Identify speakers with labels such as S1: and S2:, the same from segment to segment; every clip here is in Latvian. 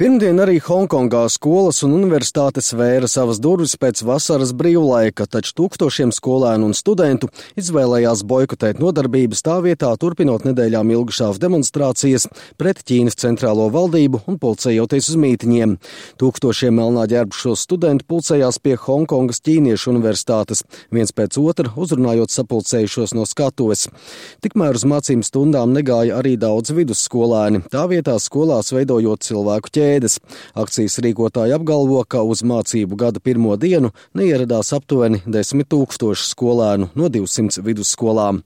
S1: Pirmdien arī Honkongā skolas un universitātes vēra savas durvis pēc vasaras brīvlaika, taču tūkstošiem skolēnu un studentu izvēlējās boikotēt nodarbības tā vietā, turpinot nedēļām ilgušās demonstrācijas pret Ķīnas centrālo valdību un pulcējoties uz mītiņiem. Tūkstošiem melnā ģērbušos studentu pulcējās pie Honkongas ķīniešu universitātes, viens pēc otra uzrunājot sapulcējušos no skatuves. Tikmēr uz mācību stundām negāja arī daudz vidusskolēni, tā vietā skolās veidojot cilvēku ķēdes. Akcijas rīkotāji apgalvo, ka uz mācību gada pirmo dienu neieradās aptuveni 10 000 skolēnu no 200 vidusskolām.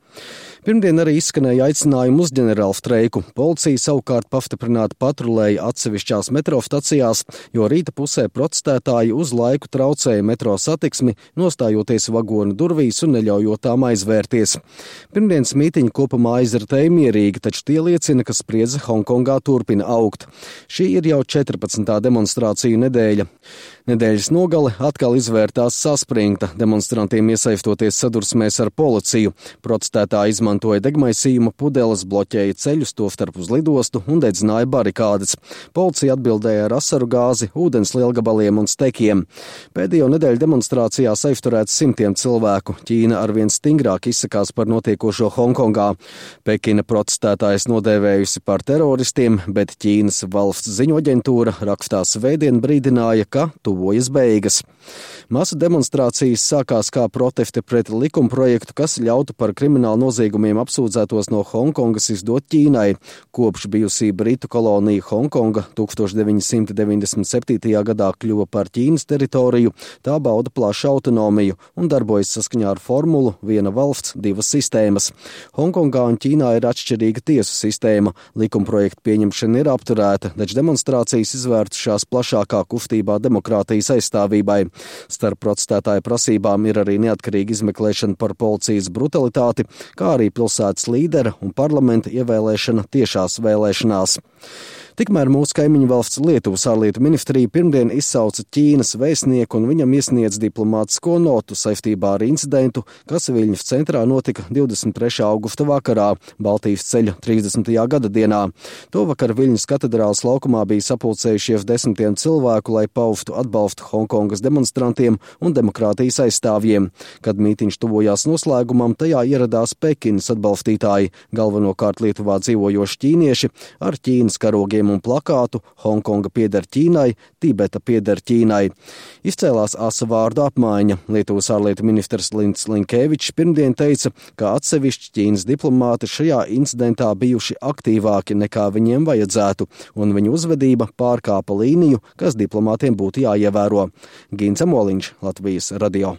S1: Pirmdien arī izskanēja aicinājumi uz ģenerālstreiku. Policija savukārt pastiprināti patrulēja atsevišķās metro stacijās, jo rīta pusē protestētāji uz laiku traucēja metro satiksmi, nostājoties vagonu durvīs un neļaujot tām aizvērties. Pirmdienas mītiņi kopumā aizritēja mierīgi, taču tie liecina, ka spriedze Honkongā turpina augt. Šī ir jau 14. demonstrāciju nedēļa. Nedēļas nogale atkal izvērtās saspringta, demonstrantiem iesaistoties sadursmēs ar policiju. Protestētāji izmantoja degmaisījuma pudeles, bloķēja ceļus, tostarp uz lidostu un dedzināja barikādes. Policija atbildēja ar asaru gāzi, ūdens lielgabaliem un stekiem. Pēdējo nedēļu demonstrācijās aizturēts simtiem cilvēku. Ķīna arvien stingrāk izsakās par notiekošo Honkongā. Pekina protestētājs nodēvējusi par teroristiem, bet Ķīnas valsts ziņu aģentūra rakstā svētdien brīdināja, ka tuvojas beigas. Masu demonstrācijas sākās kā protesti pret likumprojektu, kas ļautu par kriminālu noziegumiem apsūdzētos no Honkongas izdot Ķīnai. Kopš bijusī Britu kolonija Honkonga 1997. gadā kļuva par Ķīnas teritoriju, tā bauda plašu autonomiju un darbojas saskaņā ar formulu viena valsts, divas sistēmas. Honkongā un Ķīnā ir atšķirīga tiesu sistēma. Likumprojekta pieņemšana ir apturēta, taču demonstrācijas izvērtušās plašākā kustībā demokrātijas aizstāvībai. Starp protestētāju prasībām ir arī neatkarīga izmeklēšana par policijas brutalitāti, kā arī pilsētas līdera un parlamenta ievēlēšana tiešās vēlēšanās. Tikmēr mūsu kaimiņu valsts Lietuvas ārlietu ministrija pirmdien izsauca Ķīnas vēstnieku un viņam iesniedz diplomātisko notu saistībā ar incidentu, kas Viļņas centrā notika 23. augusta vakarā, Baltijas ceļa 30. gada dienā. Tovakar Viļņas katedrāles laukumā bija sapulcējušies desmitiem cilvēku, lai paustu atbalstu Honkongas demonstrantiem un demokrātijas aizstāvjiem. Kad mītiņš tuvojās noslēgumam, tajā ieradās Pekinas atbalstītāji, galvenokārt Lietuvā dzīvojoši ķīnieši ar Ķīnas karogiem un plakātu Hongkonga pieder Ķīnai, Tibeta pieder Ķīnai. Izcēlās asa vārdu apmaiņa. Lietuvas ārlietu ministrs Linds Linkevičs pirmdien teica, ka atsevišķi Ķīnas diplomāti šajā incidentā bijuši aktīvāki nekā viņiem vajadzētu, un viņu uzvedība pārkāpa līniju, kas diplomātiem būtu jāievēro. Gins Amoliņš, Latvijas radio.